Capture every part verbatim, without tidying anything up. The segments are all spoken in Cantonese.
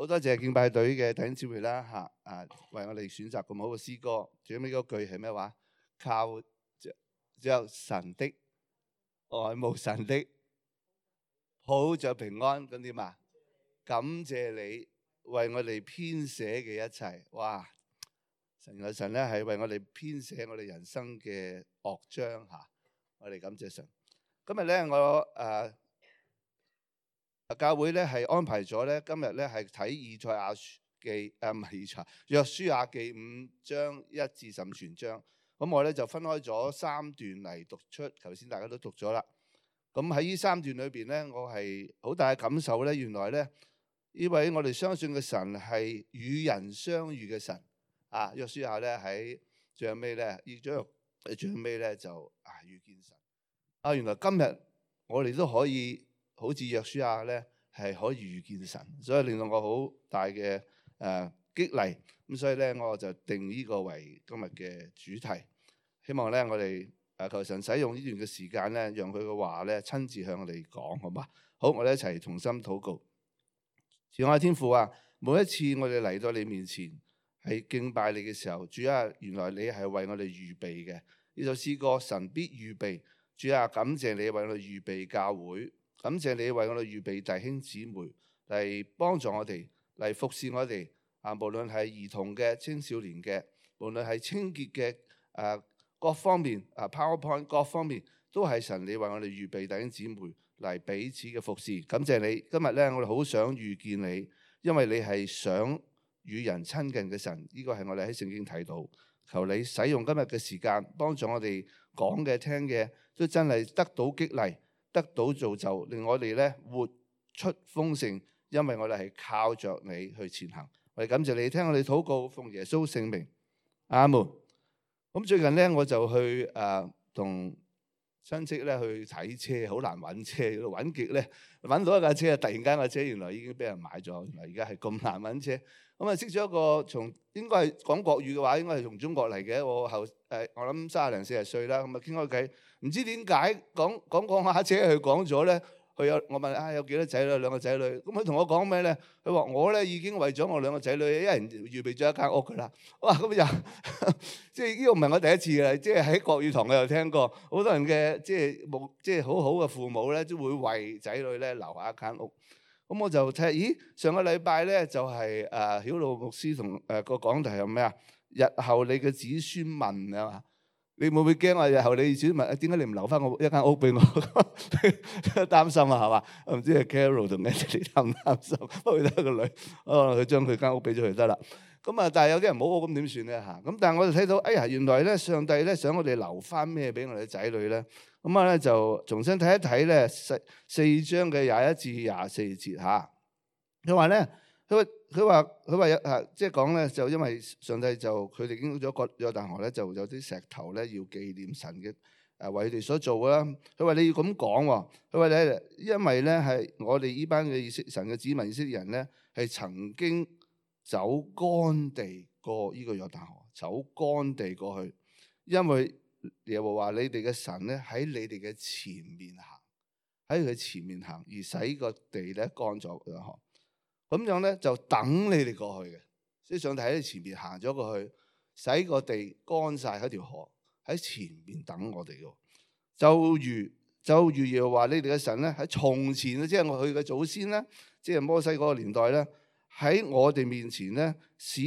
好多謝敬拜隊嘅弟兄姊妹啦嚇啊，為我哋選擇咁好嘅詩歌。最尾嗰句係咩話？靠着着神的愛慕神的，抱着平安咁點啊？感謝你為我哋編寫嘅一切。哇！神嘅神咧係為我哋編寫我哋人生嘅樂章嚇，我哋感謝神。今日咧我誒。教會咧係安排咗咧，今日咧係睇以賽亞記，誒唔係以賽，約書亞記五章一至十五全章。咁我咧就分開咗三段嚟讀出，頭先大家都讀咗啦。咁喺呢三段裏邊咧，我係好大嘅感受咧，原來咧呢位我哋相信嘅神係與人相遇嘅神啊。約書亞咧喺最後尾咧，呢章最後尾咧就啊遇見神啊。原來今日我哋都可以。好似約書亞咧，係可以遇見神，所以令到我好大嘅誒、呃、激勵。咁所以咧，我就定呢個為今日嘅主題。希望咧，我哋誒求神使用呢段嘅時間咧，讓佢嘅話咧親自向我哋講，好嘛？好，我哋一齊同心禱告。慈愛天父啊，每一次我哋嚟到你面前係敬拜你嘅時候，主啊，原來你係為我哋預備嘅呢首詩歌，神必預備。主啊，感謝你為我哋預備教會。感謝你為我哋預備弟兄姊妹嚟幫助我哋，嚟服侍我哋啊！無論係兒童嘅、青少年嘅，無論係清潔嘅，誒、啊、各方面啊 PowerPoint 各方面都係神你為我哋預備弟兄姊妹嚟彼此嘅服侍。感謝你今日咧，我哋好想遇見你，因為你係想與人親近嘅神。呢、這個係我哋喺聖經睇到。求你使用今日嘅時間，幫助我哋講嘅、聽嘅都真係得到激勵。得到造就，令我哋咧活出豐盛，因為我哋係靠着你去前行。我哋感謝你聽我哋禱告，奉耶穌聖名，阿門。咁最近咧，我就去誒同親戚咧去睇車，好難揾車，揾極咧揾到一架車，突然間架車原來已經俾人買咗，原來而家係咁難揾車。咁啊識咗一個從應該係講國語嘅話，應該係從中國嚟嘅。我後誒我諗三十零四十歲啦，咁啊傾開偈。唔知點解講講講下車，佢講咗咧，佢有我問啊有幾多仔女？兩個仔女。咁佢同我講咩咧？佢話我咧已經為咗我兩個仔女，一人預備咗一間屋噶啦。哇！咁就即係呢個唔係我第一次嘅，即係喺國語堂我又聽過，好多人嘅即係冇即係好好嘅父母咧，都會為仔女咧留下一間屋。咁我就睇下，咦？上個禮拜咧就係誒曉路牧師同誒個講題係咩啊？日後你嘅子孫問啊。你會唔會驚啊？日後你子孫問點解你唔留翻我一間屋俾我？擔心啊，係嘛？唔知係 Carol 同 Anthony 擔唔擔心？不過佢得個女，哦，佢將佢間屋俾咗佢得啦。咁啊，但係有啲人冇屋，咁點算咧嚇？咁但係我就睇到，哎呀，原來咧上帝咧想我哋留翻咩俾我哋仔女咧？咁啊咧就重新睇一睇咧四四章嘅廿一至廿四節嚇。佢話咧。佢話佢話佢話啊，即係講咧，就因為上帝就佢哋經過咗個約旦河咧，就有啲石頭咧要紀念神嘅誒為佢哋所做啦。佢話你要咁講喎，佢話咧，因為咧係我哋呢班嘅以色神嘅子民以色列人咧，係曾經走乾地過呢個約旦河，走乾地過去，因為耶和華你哋嘅神咧喺你哋嘅前面行，喺佢前面行而使個地咧乾咗約河。咁樣咧就等你哋過去嘅，即係上帝喺你前面行咗過去，使個地乾晒喺條河喺前面等我哋嘅。就如就如耶和華你哋嘅神咧喺從前即係我佢嘅祖先咧，即係摩西嗰個年代咧，喺我哋面前咧使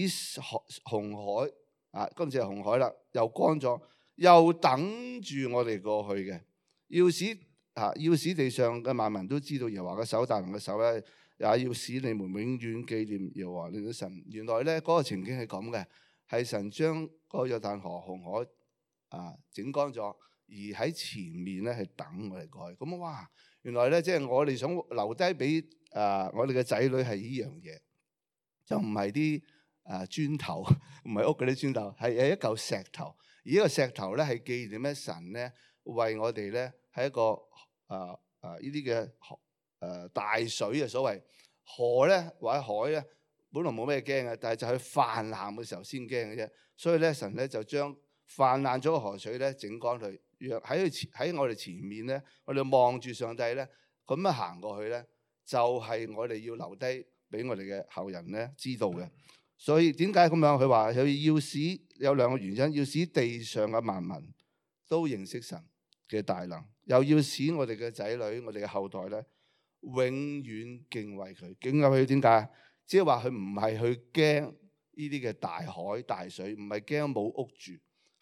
紅海啊，今次係紅海啦，又乾咗，又等住我哋過去嘅，要使啊要使地上嘅萬民都知道耶和華嘅手大能嘅手咧。也要使你們永遠紀念耶和華你嘅神。原來咧嗰、那個情景係咁嘅，係神將個約旦河紅海啊整乾咗，而喺前面咧係等我哋過去。咁哇，原來咧即係我哋想留低俾啊我哋嘅仔女係呢樣嘢，就唔係啲啊磚頭，唔係屋嗰啲磚頭，係係一嚿石頭。而呢個石頭咧係紀念咩神咧為我哋咧係一個啊啊呢啲嘅。誒、呃、大水啊，所謂河咧或者海咧，本來冇咩驚嘅，但係就去泛濫嘅時候先驚嘅啫。所以咧，神咧就將泛濫咗個河水咧整乾佢，若喺佢前喺我哋前面咧，我哋望住上帝咧，咁樣行過去咧，就係、是、我哋要留低俾我哋嘅後人咧知道嘅。所以點解咁樣？佢話佢要使有兩個原因，要使地上嘅萬民都認識神嘅大能，又要使我哋嘅仔女、我哋嘅後代咧永遠敬畏佢。敬畏佢點解？即係話佢唔係去驚呢啲嘅大海大水，唔係驚冇屋住，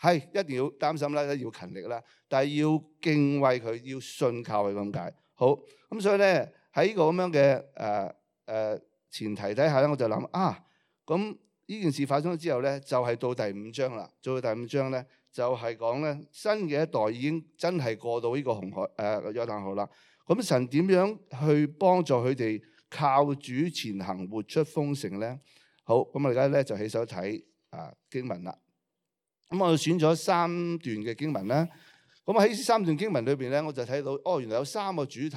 係一定要擔心啦，要勤力啦，但係要敬畏佢，要信靠佢咁解。好，咁所以咧喺呢個咁樣嘅誒誒前提底下咧，我就諗啊，咁呢件事發生咗之後咧，就係、是、到第五章啦。做到第五章咧，就係講咧新嘅一代已經真係過到呢個紅海誒、呃、約旦河啦。咁神點樣去幫助佢哋靠主前行，活出豐盛咧？好，咁我而家咧就起手睇啊經文啦。咁我選咗三段嘅經文啦。咁喺三段經文裏邊咧，我就睇到哦，原來有三個主題。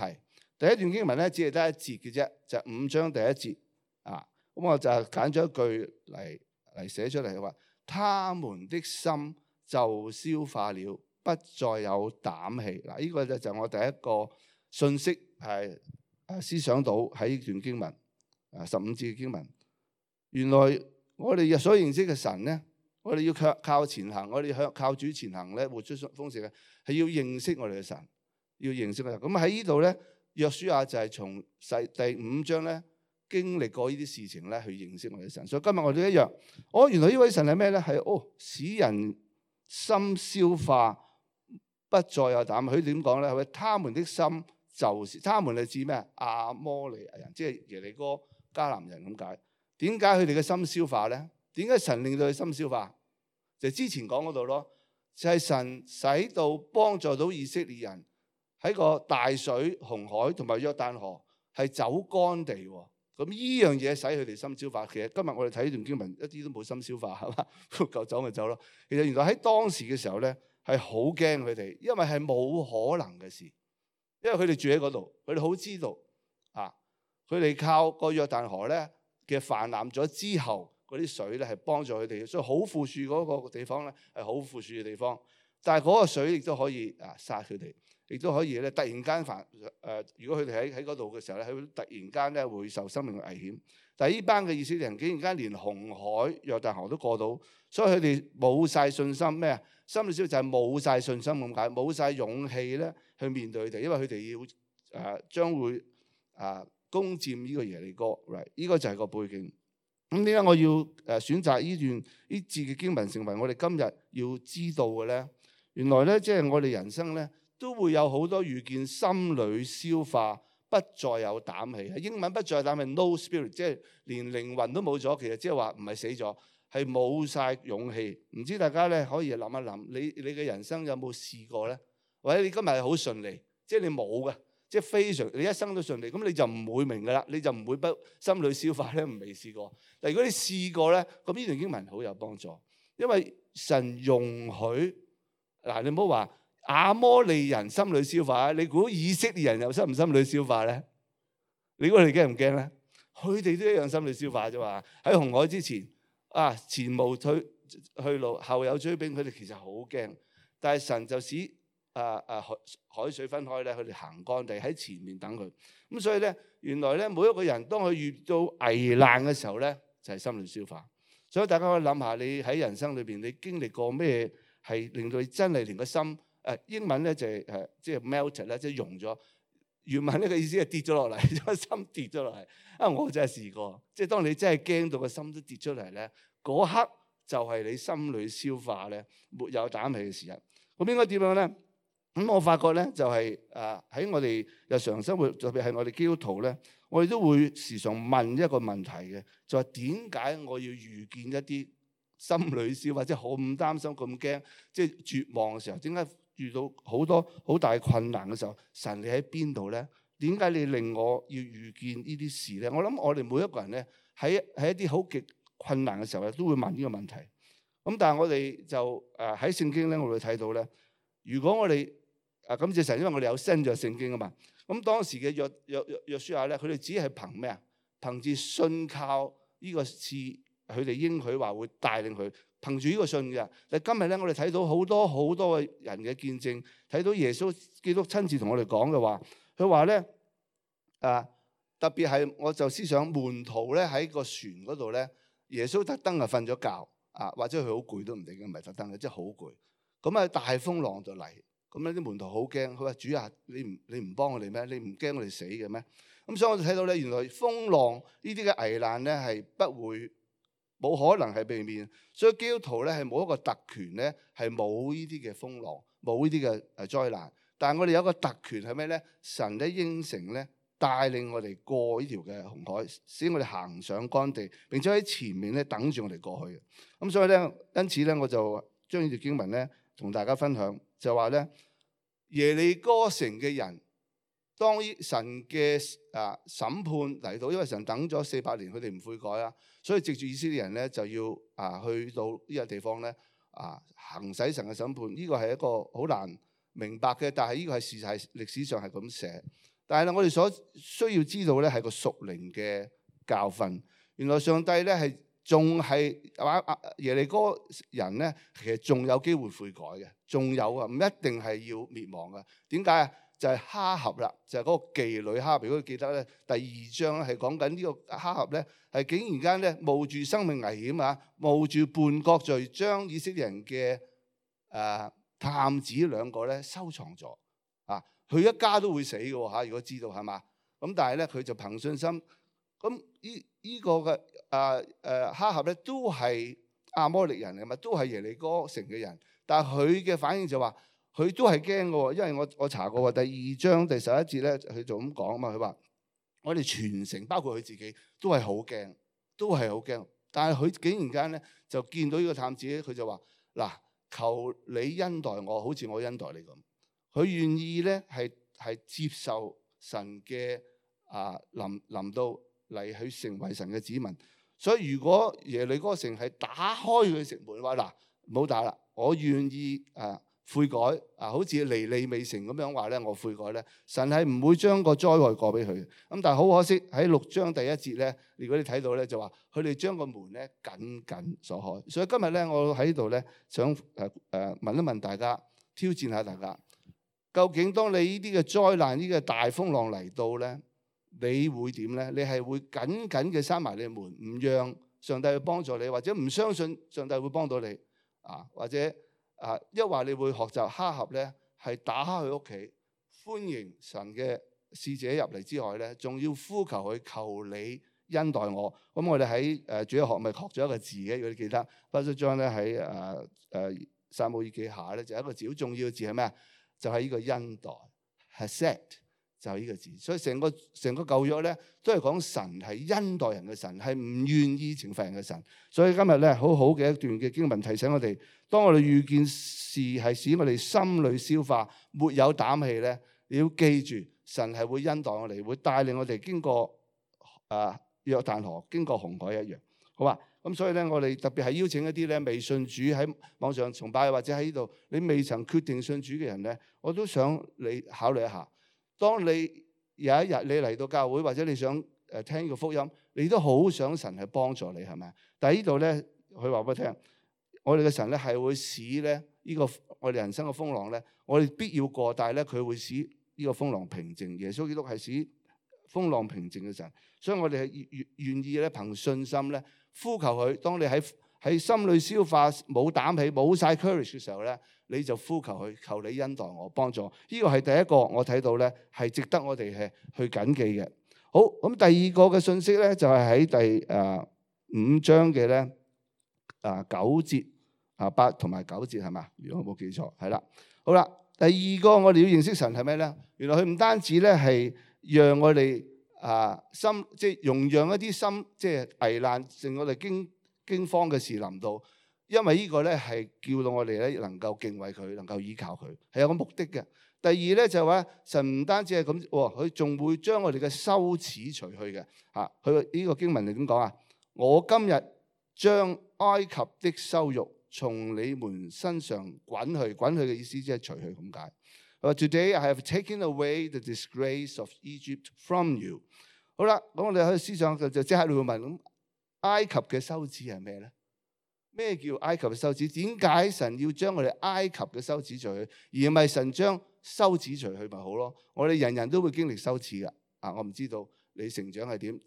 第一段經文咧，只係得一節嘅啫，就係、五章第一節啊。咁我就揀咗一句嚟嚟寫出嚟，話他們的心就消化了，不再有膽氣。嗱，呢個就就我第一個信息係誒思想到喺呢段經文啊十五節嘅經文。原來我哋所認識嘅神咧，我哋要靠靠前行，我哋向靠主前行咧，活出豐盛嘅，係要認識我哋嘅神，要認識佢。咁喺呢度咧，約書亞就係從第第五章咧經歷過呢啲事情咧，去認識我哋嘅神。所以今日我哋一樣，哦，原來呢位神係咩咧？係哦，使人心消化，不再有膽。佢點講咧？係他們的心就是，他們係指咩？亞摩利亞人，即係耶利哥迦南人咁解。點解佢哋嘅心消化咧？點解神令到佢心消化？就之前講嗰度咯，就係神使到幫助到以色列人喺個大水、紅海同埋約旦河係走乾地喎。咁呢樣嘢使佢哋心消化。其實今日我哋睇呢段經文一啲都冇心消化，係嘛？夠走咪走咯。其實原來喺當時嘅時候咧係好驚佢哋，因為係冇可能嘅事，因為佢哋住喺嗰度，佢哋好知道啊，佢哋靠個約旦河咧嘅泛濫咗之後，嗰啲水咧係幫助佢哋，所以好富庶嗰個地方咧係好富庶嘅地方。但係嗰個水亦都可以啊殺佢哋，亦都可以咧突然間泛誒。如果佢哋喺喺嗰度嘅時候咧，佢突然間咧會受生命嘅危險。但係呢班嘅以色列人竟然間連紅海、約旦河都過到，所以佢哋冇晒信心咩啊？心裏少就係冇晒信心咁解，冇晒勇氣咧去面對佢哋，因為佢哋要誒將、呃、會啊。呃攻佔呢個耶利哥，呢、right? 個就係個背景。咁點解我要誒選擇呢段呢節嘅經文成為我哋今日要知道嘅咧？原來咧，即係我哋人生咧都會有好多遇見，心裏消化，不再有膽氣。英文不再有膽氣 ，no spirit， 即係連靈魂都冇咗。其實即係話唔係死咗，係冇晒勇氣。唔知大家咧可以諗一諗，你你嘅人生有冇試過咧？或者你今日係好順利，即係你冇嘅。即係非常，你一生都順利，咁你就唔會明噶啦，你就唔會不心裏消化咧，唔未試過。但如果你試過咧，咁呢段經文好有幫助，因為神容許嗱，你唔好話亞摩利人心裏消化，你估以色列人又心唔心裏消化咧？你估你驚唔驚咧？佢哋都一樣心裏消化啫嘛。喺紅海之前啊，前無退去路，後有追兵，佢哋其實好驚，但係神就使。啊啊海海水分開咧，佢哋行乾地喺前面等佢。咁所以咧，原來咧，每一個人當佢遇到危難嘅時候咧，就係心裏消化。所以大家可以諗下，你喺人生裏邊，你經歷過咩係令到你真係連個心誒英文咧就係誒即係 melted 咧，即係溶咗。原文呢個意思係跌咗落嚟，個心跌咗落嚟。啊，我真係試過，即係當你真係驚到個心都跌出嚟咧，嗰刻就係你心裏消化咧，沒有膽氣嘅時日。咁應該點樣咧？咁我發覺咧，就係誒喺我哋日常生活，特別係我哋基督徒咧，我哋都會時常問一個問題嘅，就係點解我要遇見一啲心裏消化，即係好唔擔心、咁驚，即係絕望嘅時候，點解遇到好多好大困難嘅時候，神你喺邊度咧？點解你令我要遇見呢啲事咧？我諗我哋每一個人咧，喺喺一啲好極困難嘅時候咧，都會問呢個問題。咁但係我哋就誒喺聖經咧，我哋睇到咧，如果我哋啊，感謝神，因為我哋有新約聖經啊嘛。咁當時嘅約約約約書亞咧，佢哋只係憑咩啊？憑住信靠呢個事，佢哋應許話會帶領佢，憑住呢個信嘅。但今日咧，我哋睇到好多好多嘅人嘅見證，睇到耶穌基督親自同我哋講嘅話，佢話咧啊，特別係我就思想門徒咧喺個船嗰度咧，耶穌特登啊瞓咗覺啊，或者佢好攰都唔定嘅，唔係特登嘅，即係好攰。咁啊大風浪就嚟，咁咧啲門徒好驚，佢話主啊，你唔你唔幫我哋咩？你唔驚我哋死嘅咩？咁所以我就睇到咧，原來風浪呢啲嘅危難咧係不會冇可能係避免，所以基督徒咧係冇一個特權咧，係冇呢啲嘅風浪，冇呢啲嘅誒災難。但係我哋有一個特權係咩咧？神咧應承咧帶領我哋過呢條嘅紅海，使我哋行上乾地，並且喺前面咧等住我哋過去嘅。咁所以咧，因此咧我就將呢條經文咧同大家分享，就話咧耶利哥城嘅人。當神嘅啊審判嚟到，因為神等咗四百年，佢哋唔悔改啊，所以藉住以色列人咧就要啊去到呢個地方咧啊行使神嘅審判。呢個係一個好難明白嘅，但係呢個係事實，係歷史上係咁寫。但係咧，我哋所需要知道咧係個屬靈嘅教訓。原來上帝咧係仲係話耶利哥人咧，其實仲有機會悔改嘅，仲有啊，唔一定係要滅亡嘅。點解啊？就係哈合啦，就係、是、嗰個妓女哈合。如果記得咧，第二章係講緊呢個哈合咧，係竟然間咧冒住生命危險啊，冒住叛國罪，將以色列人嘅誒、呃、探子兩個咧收藏咗啊！佢一家都會死嘅喎嚇，如果知道係嘛？咁但係咧佢就憑信心，咁呢依個嘅誒誒哈合咧都係亞摩利人嚟嘛，都係耶利哥城嘅人，但係佢嘅反應就話。佢都係驚嘅喎，因為我我查過第二章第十一節咧，佢就咁講啊嘛。佢話：我哋全城包括佢自己都係好驚，都係好驚。但係佢竟然間咧就見到呢個探子咧，佢就話：嗱，求你恩待我，好似我恩待你咁。佢願意咧係係接受神嘅啊臨臨到嚟去成為神嘅子民。所以如果耶利哥城係打開佢城門，話嗱唔好打啦，我願意啊。悔改啊，好似尼尼微城咁樣話咧，我悔改咧，神係唔會將個災害過俾佢嘅。咁但係好可惜喺六章第一節咧，如果你睇到咧，就話佢哋將個門咧緊緊鎖開。所以今日咧，我喺度咧想誒誒問一問大家，挑戰下大家，究竟當你呢啲嘅災難、呢個大風浪嚟到咧，你會點咧？你係會緊緊嘅閂埋你嘅門，唔讓上帝去幫助你，或者唔相信上帝會幫到你啊？或者？啊！一話你會學習哈合咧，係打開佢屋企，歡迎神嘅使者入嚟之外咧，仲要呼求佢，求你恩待我。咁我哋喺誒主日學咪學咗一個字嘅，如果你記得，巴叔章咧喺誒誒撒母耳記下咧，就係一個字好重要嘅字係咩啊？就係、是、呢個恩待 Hesed 就係呢個字。所以成個成個舊約咧，都係講神係恩待人嘅神，係唔願意懲罰人嘅神。所以今日咧，好好嘅一段嘅經文提醒我哋。當我哋遇見事係使我哋心裏消化，沒有膽氣咧，你要記住，神係會恩待我哋，會帶領我哋經過啊約旦河，經過紅海一樣，好嘛？咁所以咧，我哋特別係邀請一啲咧未信主喺網上崇拜或者喺呢度，你未曾決定信主嘅人咧，我都想你考慮一下。當你有一日你嚟到教會，或者你想誒聽呢個福音，你都好想神係幫助你，係咪？但係呢度咧，佢話俾我聽。我哋嘅神咧係會使咧呢個我哋人生嘅風浪咧，我哋必要過，但係咧佢會使呢個風浪平靜。耶穌基督係使風浪平靜嘅神，所以我哋係願願意咧憑信心咧呼求佢。當你喺喺心裏消化冇膽氣冇晒 courage 嘅時候咧，你就呼求佢，求你恩待我幫助。呢個係第一個我睇到咧係值得我哋係去謹記嘅。好，咁第二個嘅信息咧就係喺第誒五章嘅咧啊九節。啊，八同埋九節係嘛？如果我冇記錯，係啦。好啦，第二個我哋要認識神係咩咧？原來佢唔單止咧係讓我哋啊心，即係容讓一啲心，即係危難，令我哋驚驚慌嘅事臨到。因為呢個咧係叫到我哋咧能夠敬畏佢，能夠依靠佢，係有個目的嘅。第二咧就係話神唔單止係咁，佢仲會將我哋嘅羞恥除去嘅。嚇，佢呢個經文係點講啊？我今日將埃及的羞辱從你們身上滾去，滾去嘅意思即係除去咁解。佢話 Today I have taken away the disgrace of Egypt from you。好啦，咁我哋喺思想就就即刻會問：咁埃及嘅羞恥係咩咧？咩叫埃及嘅羞恥？點解神要將我哋埃及嘅羞恥除去，而唔係神將羞恥除去咪好咯？我哋人人都會經歷羞恥噶。啊，我唔知道你成長係點。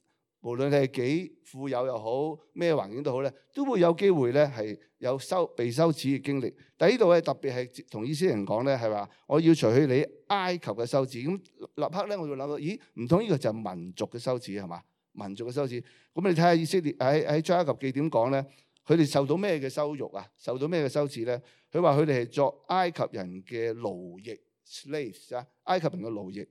無論你係幾富有又好，咩環境都好咧，都會有機會咧係有羞被羞恥嘅經歷。但係呢度咧特別係同以色列人講咧，係話我要除去你埃及嘅羞恥。咁立刻咧我就諗到，咦？唔通呢個就係民族嘅羞恥係嘛？民族嘅羞恥。咁你睇下以色列喺喺出埃及記點講咧？佢哋受到咩嘅羞辱啊？受到咩嘅羞恥咧？佢話佢哋係作埃及人嘅奴役 slaves 啊，埃及人嘅奴役。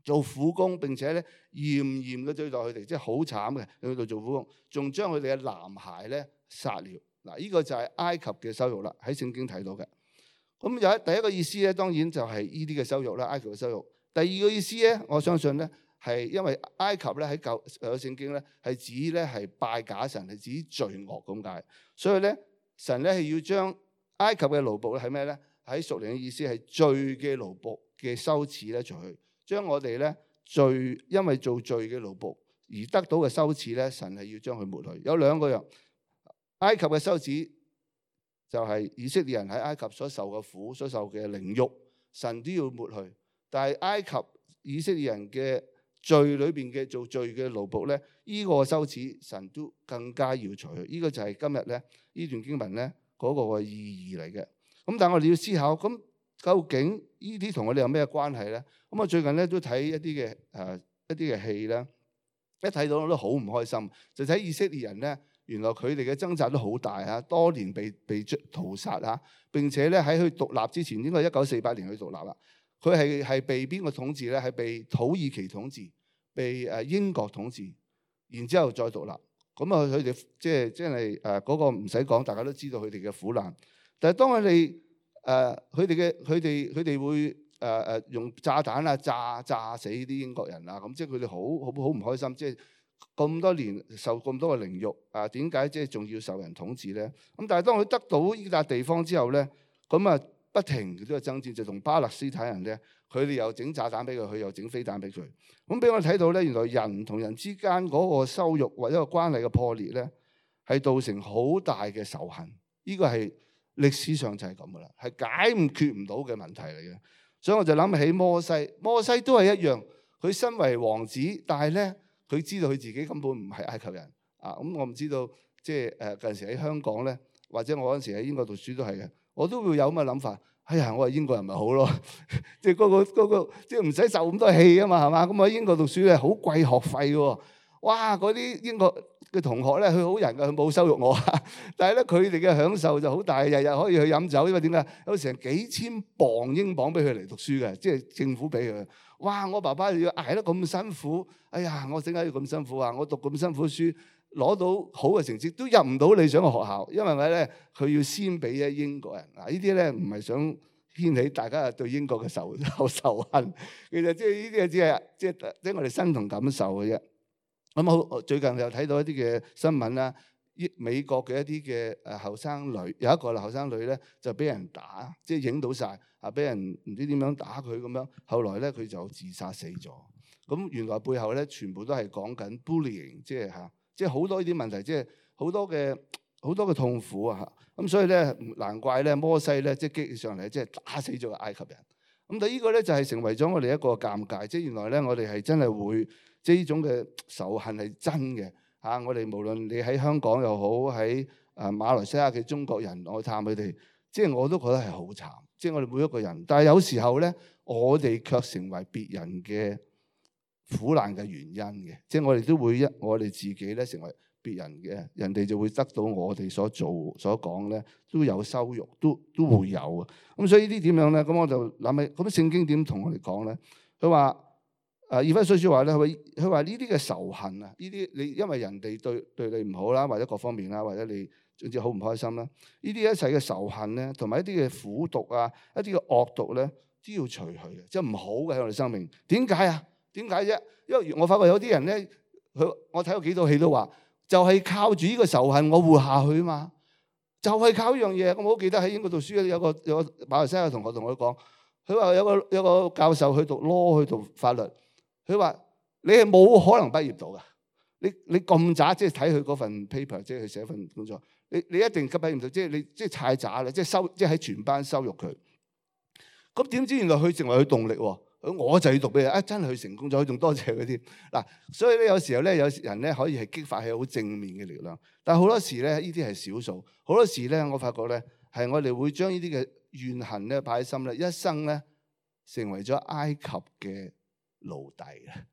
做苦工，並且咧嚴嚴嘅對待佢哋，即係好慘嘅去到做苦工，仲將佢哋嘅男孩咧殺了。嗱，呢個就係埃及嘅羞辱啦，喺聖經睇到嘅。咁有一第一個意思咧，當然就係呢啲嘅羞辱啦，埃及嘅羞辱。第二個意思咧，我相信咧係因為埃及咧喺舊舊聖經咧係指咧係拜假神，係指罪惡咁解。所以咧神咧係要將埃及嘅奴僕咧係咩咧？喺屬靈嘅意思係罪嘅奴僕嘅羞恥咧除去。將我哋咧罪，因為做罪嘅奴僕而得到嘅羞恥咧，神係要將佢抹去。有兩個樣，埃及嘅羞恥就係以色列人喺埃及所受嘅苦、所受嘅凌辱，神都要抹去。但係埃及以色列人嘅罪裏邊嘅做罪嘅奴僕咧，呢、這個羞恥神都更加要除去。呢、這個就係今日咧呢段經文咧嗰、那個嘅意義嚟嘅。咁但係我哋要思考咁。究竟呢啲同我哋有咩關係咧？咁我最近咧都睇一啲嘅誒一啲嘅戲咧，一睇到我都好唔開心。就睇以色列人咧，原來佢哋嘅掙扎都好大啊，多年被被屠殺啊，並且咧喺佢獨立之前，應該係一九四八年去獨立啦。佢係係被邊個統治咧？係被土耳其統治，被誒英國統治，然之後再獨立。咁啊，佢哋即係即係誒嗰個唔使講，大家都知道佢哋嘅苦難。但係當佢哋誒佢哋嘅佢哋佢哋會誒誒、呃、用炸彈啊炸炸死啲英國人啊，咁即係佢哋好好好唔開心，即係咁多年受咁多嘅凌辱啊，點解即係仲要受人統治咧？咁但係當佢得到呢笪地方之後咧，咁啊不停都有爭戰，就同巴勒斯坦人咧，佢哋又整炸彈俾佢，佢又整飛彈俾佢。咁俾我睇到咧，原來人同人之間嗰個羞辱或者個關係嘅破裂咧，係造成好大嘅仇恨。呢個係歷史上就係咁噶啦，係解唔決唔到嘅問題嚟嘅。所以我就諗起摩西，摩西都係一樣。佢身為王子，但係咧佢知道佢自己根本唔係埃及人啊。咁我唔知道，即係誒近時喺香港咧，或者我嗰陣時喺英國讀書都係嘅，我都會有咁嘅諗法。哎呀，我係英國人咪好咯，即係嗰個嗰個即係唔使受咁多氣啊嘛，係嘛？咁我喺英國讀書咧好貴學費喎。哇！嗰啲英國嘅同學咧，佢好人㗎，佢冇羞辱我。但係咧，佢哋嘅享受就好大，日日可以去飲酒，因為點解？有成幾千磅英鎊俾佢嚟讀書嘅，即係政府俾佢。哇！我爸爸要捱得咁辛苦，哎呀！我點解要咁辛苦啊？我讀咁辛苦書，攞到好嘅成績都入唔到理想嘅學校，因為咩咧？佢要先俾咗英國人。嗱，呢啲咧唔係想掀起大家對英國嘅仇仇恨，其實即係呢啲只係即係即係我哋身同感受嘅啫。咁好，最近又睇到一啲嘅新聞啦，美國嘅一啲嘅誒後生女，有一個後生女咧就俾人打，即係影到晒，啊，俾人唔知點樣打佢咁樣，後來咧佢就自殺死咗。咁原來背後咧全部都係講緊 bullying，即係嚇，即係好多呢啲問題，即係好多嘅好多嘅痛苦啊嚇。咁所以咧難怪咧摩西咧即係激起上嚟，即係打死咗個埃及人。咁但係呢個咧就係成為咗我哋一個尷尬，即係原來咧我哋係真係會。即係呢種嘅仇恨係真嘅嚇、啊，我哋無論你喺香港又好，喺誒馬來西亞嘅中國人，我探佢哋，即係我都覺得係好慘。即係我哋每一個人，但係有時候咧，我哋卻成為別人嘅苦難嘅原因嘅。即係我哋都會一，我哋自己咧成為別人嘅，人哋就會得到我哋所做所講咧，都有羞辱，都都會有啊。咁所以呢啲點樣咧？咁我就諗起，咁聖經點同我哋講咧？佢話。誒以弗所書話咧，佢佢話呢啲嘅仇恨啊，呢啲你因為人哋對對你唔好啦，或者各方面啦，或者你總之好唔開心啦，呢啲一切嘅仇恨咧，同埋一啲嘅苦毒啊，一啲嘅惡毒咧，都要除去嘅，即係唔好嘅喺我哋生命。點解啊？點解啫？因為我發覺有啲人咧，佢我睇過幾套戲都話，就係靠住呢個仇恨我活下去啊嘛，就係靠呢樣嘢。我好記得喺英國讀書有個有個馬來西亞同學同我講，佢話有個有個教授去讀 law 去讀法律。佢話：你係冇可能畢業到㗎。你你咁渣，即係睇佢嗰份 paper，即係佢寫份工作，你你一定畢業唔到。即係你即係太渣啦，即係收即係喺全班羞辱佢。咁點知原來佢成為佢動力喎？我就要讀俾你啊！真係佢成功咗，仲多謝佢添嗱。所以咧，有時候咧，有人咧可以係激發起好正面嘅力量，但係好多時咧，呢啲係少數。好多時咧，我發覺咧，係我哋會將呢啲嘅怨恨咧擺喺心咧，一生咧成為咗埃及嘅奴隸嘅。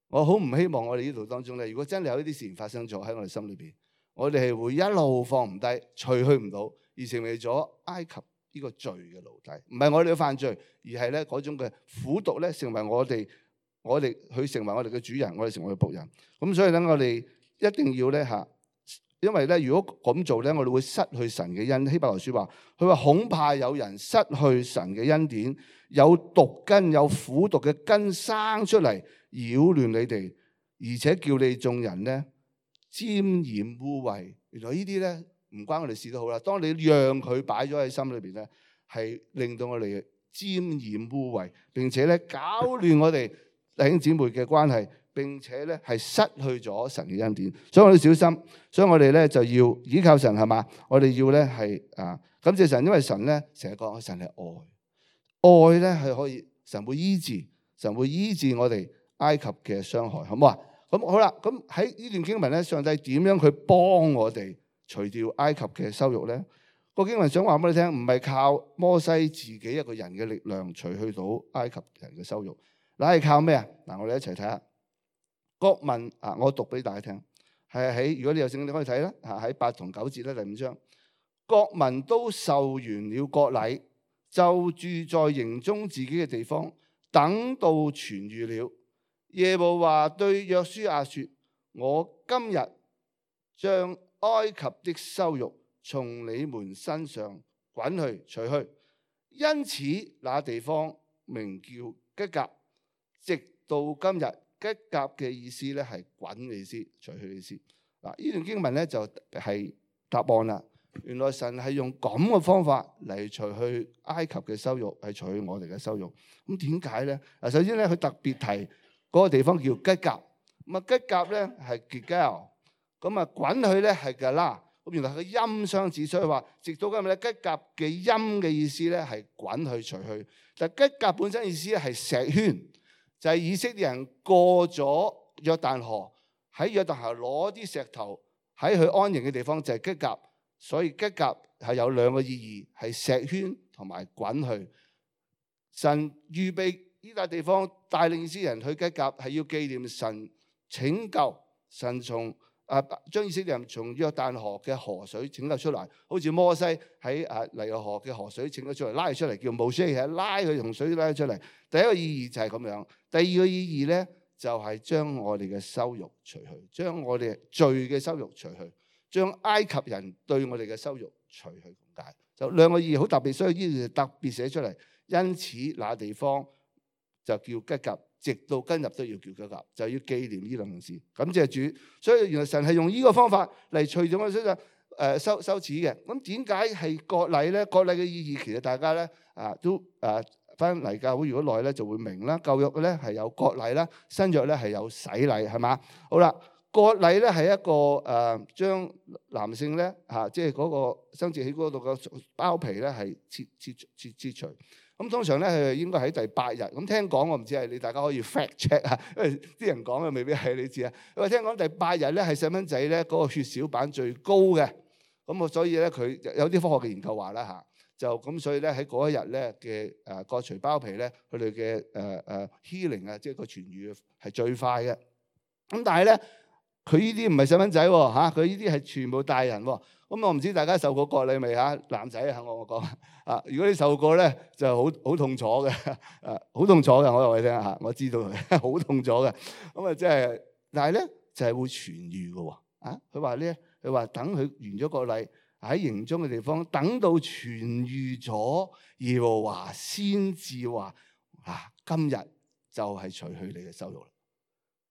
我好唔希望我哋呢度當中咧，如果真係有呢啲事情發生咗喺我哋心裏邊，我哋係會一路放唔低，除去唔到，而成為咗埃及呢個罪嘅奴隸。唔係我哋嘅犯罪，而係咧嗰種嘅苦毒咧，成為我哋，我哋佢成為我哋嘅主人，我哋成為僕人。咁所以咧，我哋一定要咧嚇，因為咧，如果咁做咧，我哋會失去神嘅恩。希伯來書話，佢話恐怕有人失去神嘅恩典，有毒根、有苦毒嘅根生出嚟，擾亂你哋，而且叫你眾人咧沾染污穢。原來呢啲咧唔關我哋事都好啦。當你讓佢擺咗喺心裏邊咧，係令到我哋沾染污穢，並且咧搞亂我哋弟兄姊妹嘅關係，並且咧係失去咗神嘅恩典。所以我哋小心，所以我哋咧就要依靠神，係嘛？我哋要咧係啊感謝神，因為神咧成日講神係愛，愛咧係可以神會醫治，神會醫治我哋埃及嘅傷害，好唔好啊？咁好啦，咁喺呢段經文咧，上帝點樣去幫我哋除掉埃及嘅羞辱咧？個經文想話俾你聽，唔係靠摩西自己一個人嘅力量除去到埃及人嘅羞辱，嗱係靠咩啊？嗱，我哋一齊睇下。國民啊，我讀俾大家聽，係喺如果你有聖經你可以睇啦，嚇喺八同九節咧第五章，國民都受完了割禮，就住在營中自己嘅地方，等到痊癒了。耶和華對約書亞說：我今日將埃及的羞辱從你們身上滾去除去，因此那地方名叫吉甲，直到今日。吉甲嘅意思咧係滾嘅意思，除去嘅意思。嗱，呢段經文咧就係答案啦。原來神係用咁嘅方法嚟除去埃及嘅羞辱，係除去我哋嘅羞辱。咁點解咧？嗱，首先咧佢特別提嗰個地方叫吉甲。咁啊，吉甲咧係 Gilgal，咁啊滾去咧係 Gala。咁原來佢音相似，所以話直到今日咧吉甲嘅音嘅意思咧係滾去除去。但吉甲本身意思咧係石圈。就係以色列人過咗約旦河，喺約旦河攞啲石頭喺佢安營嘅地方就係吉甲，所以吉甲係有兩個意義，係石圈同埋滾去。神預備呢笪地方帶領以色列人去吉甲，係要紀念神拯救神從啊將以色列人從約旦河嘅河水拯救出嚟，好似摩西喺啊尼羅河嘅河水拯救出嚟，拉佢出嚟叫摩西，係拉佢從水拉佢出嚟。第一個意義就係咁樣。第二個意義咧，就係、是、將我哋嘅羞辱除去，將我哋罪嘅羞辱除去，將埃及人對我哋嘅羞辱除去咁解。就兩個意義好特別，所以呢度特別寫出嚟。因此，那地方就叫吉甲，直到今日都要叫吉甲，就要紀念呢兩件事。感謝主。所以原來神係用呢個方法嚟除咗我哋身上誒羞羞恥嘅。咁點解係割禮咧？割禮嘅意義其實大家咧啊都誒。翻嚟教會如果耐咧就會明啦。舊約咧係有割禮啦，新約咧係有洗禮，係嘛？好啦，割禮咧係一個誒、呃、將男性咧嚇，即係嗰個生殖器嗰度嘅包皮咧係切切切切除。咁通常咧係應該喺第八日。咁聽講我唔知係你大家可以 fact check 啊，因為啲人講嘅未必係你知啊。因為聽講第八日咧係細蚊仔咧嗰個血小板最高嘅。咁啊，所以咧佢有啲科學嘅研究話啦嚇。就咁，所以咧喺嗰一日咧嘅誒割除包皮咧，佢哋嘅誒誒 healing 啊，即係個痊愈係最快嘅。咁但係咧，佢呢啲唔係細蚊仔喎嚇，佢呢啲係全部大人喎。咁我唔知大家受過割禮未嚇？男仔啊，我我講啊，如果你受過咧，就好好痛楚嘅，誒好痛楚嘅，我話你聽嚇，我知道好痛楚嘅。咁啊，即係，但係咧就係會痊愈嘅喎。啊，佢話咧，佢話等佢完咗割禮。喺營中嘅地方，等到痊愈咗，耶和華先至話：啊，今日就係除去你嘅羞辱啦。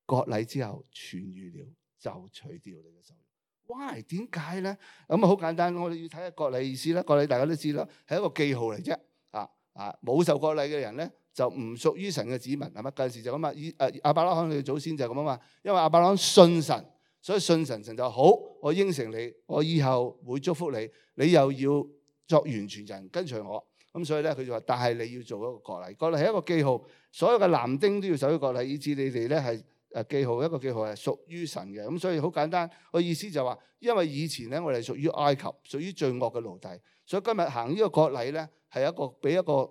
割禮之後痊愈了，就除掉你嘅羞辱。Why？點解咧？咁啊，好簡單，我哋要睇下割禮意思啦。割禮大家都知啦，係一個記號嚟啫。啊啊，冇受割禮嘅人咧，就唔屬於神嘅子民，係咪？嗰陣時就咁啊。以誒亞伯拉罕嘅祖先就係咁啊嘛，因為亞伯拉罕信神。所以信神，神就好，我應承你，我以後會祝福你，你又要作完全人跟隨我。咁所以咧，佢就話：但係你要做一個割禮，割禮係一個記號，所有嘅男丁都要守一個割禮，以致你哋咧係誒記號，一個記號係屬於神嘅。咁所以好簡單，個意思就話，因為以前咧我哋屬於埃及，屬於罪惡嘅奴隸，所以今日行呢個割禮咧係一個俾一個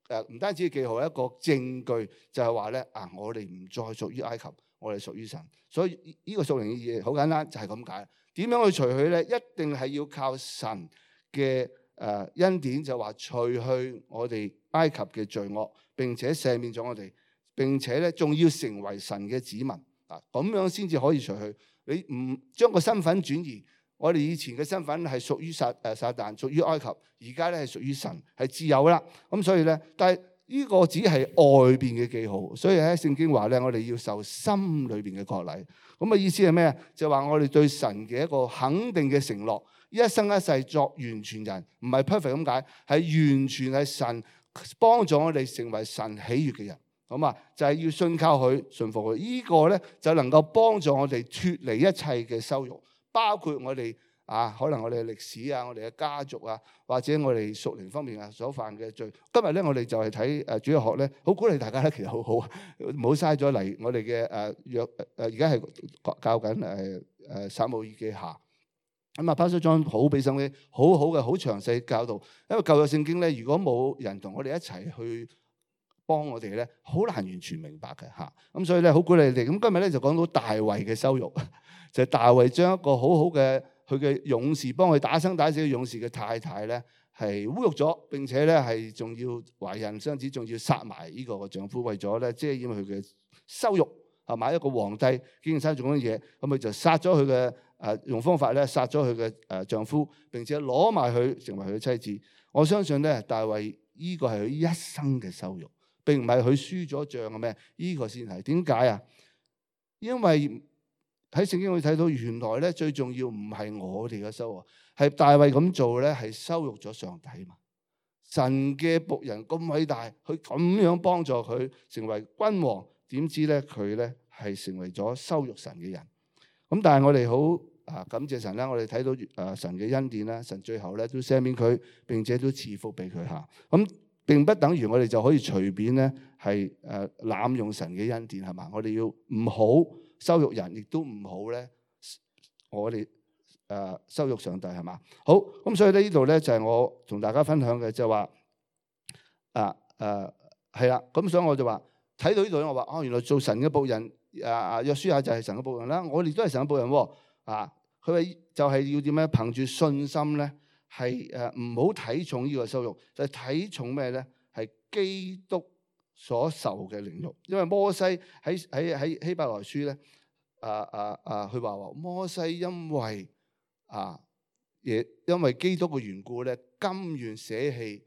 誒唔單止記號，一個證據，就係話咧啊，我哋唔再屬於埃及，我哋屬於神。所以呢個屬靈嘅意義好簡單，就係咁解。點樣去除去咧？一定係要靠神嘅誒恩典，就話除去我哋埃及嘅罪惡，並且赦免咗我哋，並且咧仲要成為神嘅子民啊！咁樣先至可以除去。你唔將個身份轉移，我哋以前嘅身份係屬於撒誒撒旦，屬於埃及，而家咧係屬於神，係自由啦。咁所以咧，但係呢個只係外邊嘅記號，所以喺聖經話咧，我哋要受心裏邊嘅割禮。咁嘅意思係咩啊？就話我哋對神嘅一個肯定嘅承諾，一生一世作完全人，唔係 perfect 咁解，係完全係神幫助我哋成為神喜悅嘅人。咁啊，就係要信靠佢，順服佢。呢個咧就能夠幫助我哋脫離一切嘅羞辱，包括我哋啊，可能我哋嘅歷史啊，我哋嘅家族啊，或者我哋屬靈方面啊所犯嘅罪。今日咧，我哋就係睇誒主日學咧，好鼓勵大家咧，其實好好，唔好嘥咗嚟我哋嘅誒約誒，而家係教緊誒誒撒母耳記下。咁啊，Pastor John好俾心機，好好嘅，好詳細教導。因為舊約聖經咧，如果冇人同我哋一齊去幫我哋咧，好難完全明白嘅嚇。咁所以咧，好鼓勵你哋。咁今日咧就講到大衛嘅羞辱，就係大衛將一個好好嘅佢嘅勇士，幫佢打生打死嘅勇士嘅太太咧，係侮辱咗，並且咧係仲要懷孕生子，仲要殺埋呢個丈夫，為咗咧遮掩佢嘅羞辱，係咪一個皇帝竟然生種咁嘅嘢？咁佢就殺咗佢嘅誒用方法咧，殺咗佢嘅誒丈夫，並且攞埋佢成為佢嘅妻子。我相信咧，大衛呢個係佢一生嘅羞辱。並唔係佢輸咗仗嘅咩？呢個先係點解啊？因為喺聖經會睇到，原來咧最重要唔係我哋嘅羞辱，係大衛咁做咧，係羞辱咗上帝嘛。神嘅僕人咁偉大，佢咁樣幫助佢成為君王，點知咧佢咧係成為咗羞辱神嘅人。咁但係我哋好啊感謝神啦，我哋睇到誒神嘅恩典啦，神最後咧都赦免佢，並且都賜福俾佢嚇。咁並不等於我哋就可以隨便咧係誒濫用神嘅恩典，係嘛？我哋要唔好羞辱人，亦都唔好咧我哋誒羞辱上帝，係嘛？好，咁所以咧呢度咧就係我同大家分享嘅，就話啊誒係啦。咁所以我就話睇到呢度咧，我話哦，原來做神嘅僕人啊啊約書亞就係神嘅僕人啦，我哋都係神嘅僕人喎啊！佢話就係要點樣憑住信心咧？係誒唔好睇重呢個羞辱，就係、是、睇重咩咧？係基督所受嘅凌辱。因為摩西喺喺喺希伯來書咧，啊啊啊，佢話話摩西因為啊，亦因為基督嘅緣故咧，甘願捨棄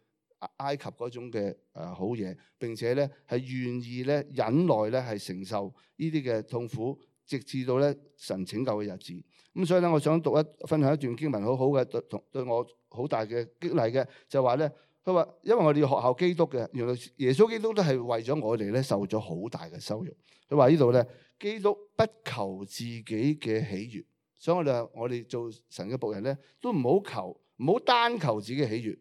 埃及嗰種嘅誒好嘢，並且咧係願意咧忍耐咧係承受呢啲嘅痛苦，直至到咧神拯救嘅日子。咁所以咧，我想讀一分享一段經文，好好嘅對同對我好大嘅激勵嘅，就話咧，佢話因為我哋要學效基督嘅，原來耶穌基督都係為咗我哋咧受咗好大嘅羞辱。佢話呢度咧，基督不求自己嘅喜悅，所以我哋我哋做神嘅僕人咧，都唔好求，唔好單求自己嘅喜悅。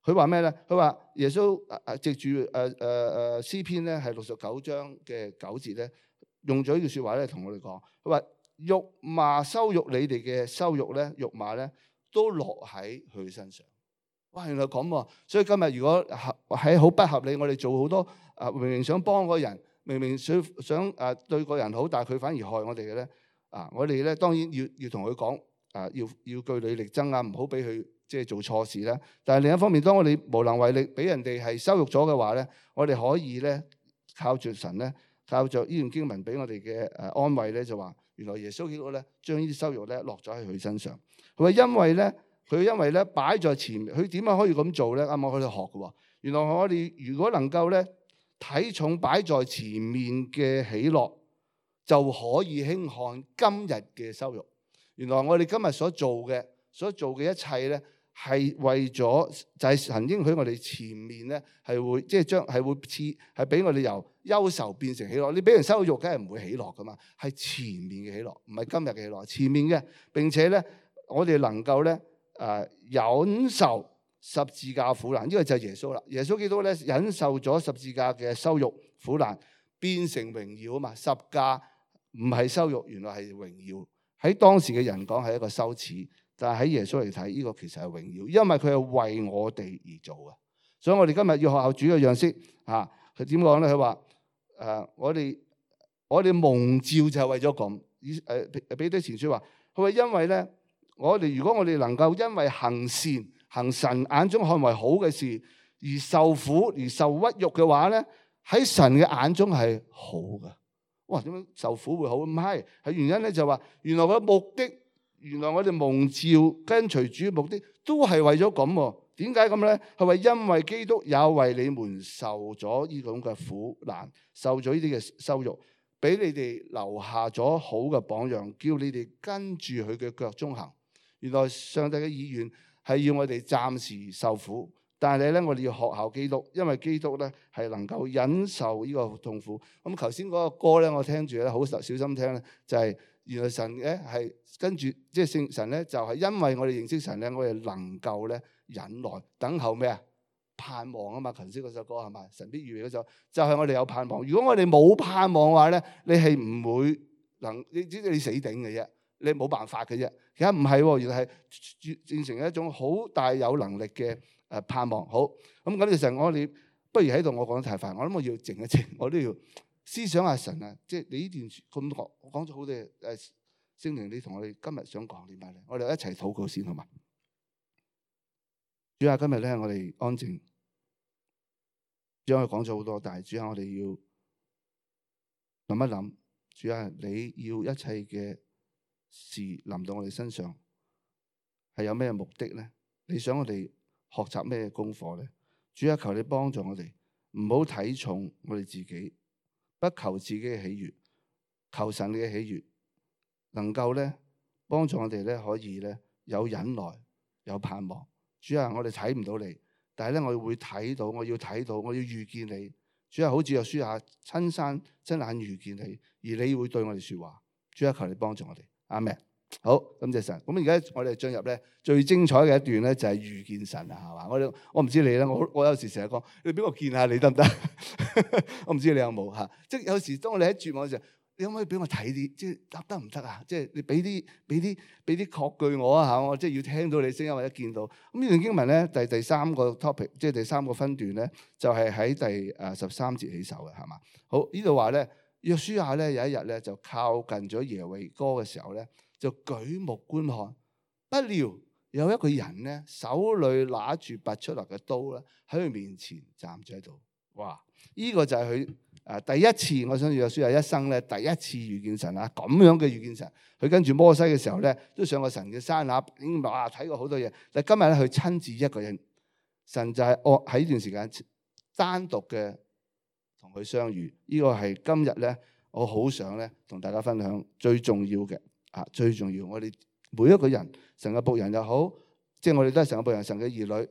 佢話咩咧？佢話耶穌誒藉住誒誒誒詩篇咧，係六十九章嘅九節咧，用咗呢句説話咧，同我哋講，佢話。辱罵羞辱你哋嘅羞辱咧，辱罵咧都落喺佢身上。哇！原來咁喎，所以今日如果喺好不合理，我哋做好多啊，明明想幫個人，明明想想啊對個人好，但係佢反而害我哋嘅咧啊！我哋咧當然要要同佢講啊，要要據理力爭啊，唔好俾佢即係做錯事啦。但係另一方面，當我哋無能為力，俾人哋係羞辱咗嘅話咧，我哋可以咧靠住神咧，靠著呢段經文俾我哋嘅誒安慰咧，就話。原來耶穌基督咧，將呢啲羞辱咧落咗喺佢身上。佢話因為咧，佢因為咧擺在前面，佢點樣可以咁做咧？啱啱我喺度學嘅喎。原來我哋如果能夠咧睇重擺在前面嘅喜樂，就可以輕看今日嘅羞辱。原來我哋今日所做嘅，所做嘅一切咧，係為咗就係神應許我哋前面咧係會即係將係會賜係俾我哋由憂愁變成喜樂。你俾人羞辱，梗係唔會喜樂噶嘛，係前面嘅喜樂，唔係今日嘅喜樂，前面嘅。並且咧，我哋能夠咧誒忍受十字架苦難，呢、這個就係耶穌啦。耶穌基督咧忍受咗十字架嘅羞辱苦難，變成榮耀啊嘛。十架唔係羞辱，原來係榮耀。喺當時嘅人講係一個羞恥，但係喺耶穌嚟睇，呢、這個其實係榮耀，因為佢係為我哋而做嘅。所以我哋今日要學效主嘅樣式嚇，佢點講咧？佢話誒，我哋我哋蒙召就係為咗咁。以誒彼得前書話，佢話因為咧，我哋如果我哋能夠因為行善，行神眼中看為好嘅事而受苦而受屈辱嘅話咧，喺神嘅眼中係好嘅。哇！點樣受苦會好？唔係，係原因咧就話，原來個目的，原來我哋蒙召跟隨主嘅目的都係為咗咁喎。點解咁咧？係話因為基督也為你們受咗呢種嘅苦難，受咗呢啲嘅羞辱，俾你哋留下咗好嘅榜樣，叫你哋跟住佢嘅腳蹤行。原來上帝嘅意願係要我哋暫時受苦，但係咧我哋要學效基督，因為基督咧係能夠忍受呢個痛苦。咁頭先嗰個歌咧，我聽住咧好小心聽咧，就係、是、原來神咧係跟住即係聖神咧，就係、是、因為我哋認識神咧，我哋能夠咧忍耐等候咩啊？盼望啊嘛。頭先嗰首歌係嘛？神必預備嗰首就係、是、我哋有盼望。如果我哋冇盼望嘅話咧，你係唔會能你知你死頂嘅啫。你冇辦法嘅啫，其實唔係喎，原來係變成一種好大有能力嘅誒盼望。好，咁咁嘅時候，我哋不如喺度，我講得太快，我諗我要靜一靜，我都要思想下神啊！即係你呢段咁講，我講咗好多誒聖靈，你同我哋今日想講啲乜咧？我哋一齊禱告先好嘛？主啊，今日咧我哋安靜，主啊，我講咗好多，但係主啊，我哋要諗一諗，主啊，你要一切嘅事臨到我哋身上係有咩目的咧？你想我哋學習咩功課咧？主啊，求你幫助我哋，唔好睇重我哋自己，不求自己嘅喜悅，求神嘅喜悅，能夠咧幫助我哋咧可以咧有忍耐，有盼望。主啊，我哋睇唔到你，但係咧我會睇到，我要睇到，我要遇見你。主啊，好似約書亞親身親眼遇見你，而你會對我哋說話。主啊，求你幫助我哋。阿們，好，感謝神。咁而家我哋進入咧最精彩嘅一段咧，就係遇見神啊，係嘛？我我唔知你咧，我我有時成日講，你俾我見下你得唔得？我唔知你有冇嚇。即係有時當我哋喺絕望嘅時候，你可唔可以俾我睇啲？即係得得唔得啊？即係你俾啲俾啲俾啲確據我啊嚇！我即係要聽到你聲音或者見到。咁呢段經文咧，第第三個 topic，即係第三個分段咧，就係喺第誒十三節起手嘅，係嘛？好，呢度話咧。約書亞咧有一日咧就靠近咗耶利哥嘅時候咧，就舉目觀看，不料有一個人咧手裏拿住拔出嚟嘅刀咧喺佢面前站住喺度。哇！呢、這個就係佢誒第一次，我相信約書亞一生咧第一次遇見神啊，咁樣嘅遇見神。佢跟住摩西嘅時候咧，都上過神嘅山下，已經哇睇過好多嘢。但今日咧佢親自一個人，神就係我喺呢段時間單獨嘅。同佢相遇，呢、這個係今日咧，我好想咧同大家分享最重要嘅啊，最重要。我哋每一個人，神嘅僕人又好，即係我哋都係神嘅僕人，神嘅兒女，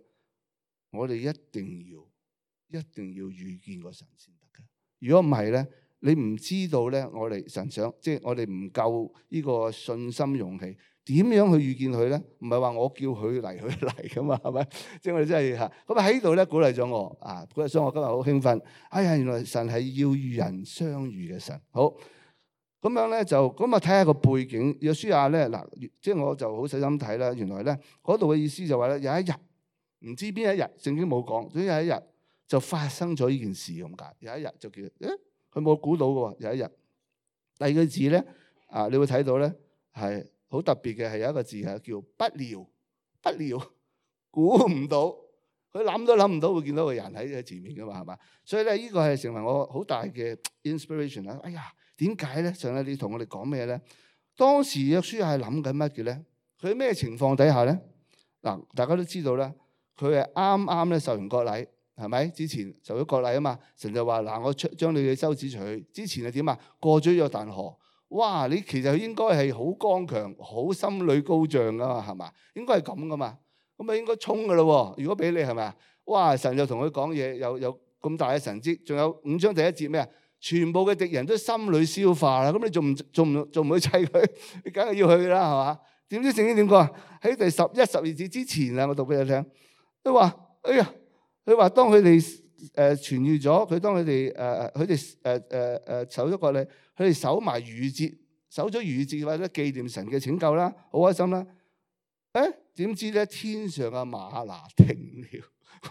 我哋一定要一定要遇見個神先得嘅。如果唔係咧，你唔知道咧，我哋神想，即係我哋唔夠呢個信心勇氣。點樣去遇見佢咧？唔係話我叫佢嚟，佢嚟噶嘛，係咪？即係我哋真係嚇。咁啊喺度咧鼓勵咗我啊，所以我今日好興奮。哎呀，原來神係要與人相遇嘅神。好，咁樣咧就咁啊睇下個背景。約書亞咧嗱，即係我就好細心睇啦。原來咧嗰度嘅意思就話咧，有一日唔知邊一日，聖經冇講，總之有一日就發生咗呢件事咁解。有一日就叫，誒，佢冇估到嘅喎。有一日，第二個字咧啊，你會睇到咧係。好特別嘅係有一個字係叫不料，不料估唔到，佢諗都諗唔到會見到個人喺喺前面噶嘛，係嘛？所以咧呢個係成為我好大嘅 inspiration 啦。哎呀，點解咧？上帝你同我哋講咩咧？當時約書亞係諗緊乜嘅咧？佢喺咩情況底下咧？嗱，大家都知道啦，佢係啱啱咧受完割禮，係咪？之前受咗割禮啊嘛，神就話嗱，我出將你嘅羞恥除去。之前係點啊？過咗約旦河。哇！你其實應該係好剛強、好心裏高漲噶嘛，係嘛？應該係咁噶嘛，咁啊應該衝噶咯喎！如果俾你係咪啊？哇！神就同佢講嘢，有有咁大嘅神蹟，仲有五章第一節咩啊？全部嘅敵人都心裏消化啦，咁你仲唔仲唔仲唔去砌佢？你梗係要去啦，係嘛？點知聖經點講啊？喺第十一、十二節之前啊，我讀俾你聽。佢話：哎呀，佢話當佢哋誒痊癒咗，佢當佢哋誒佢哋誒誒誒守咗割禮，佢哋守埋逾越節，守咗逾越節或者紀念神嘅拯救啦，好開心啦。誒點知咧天上嘅嗎哪停了，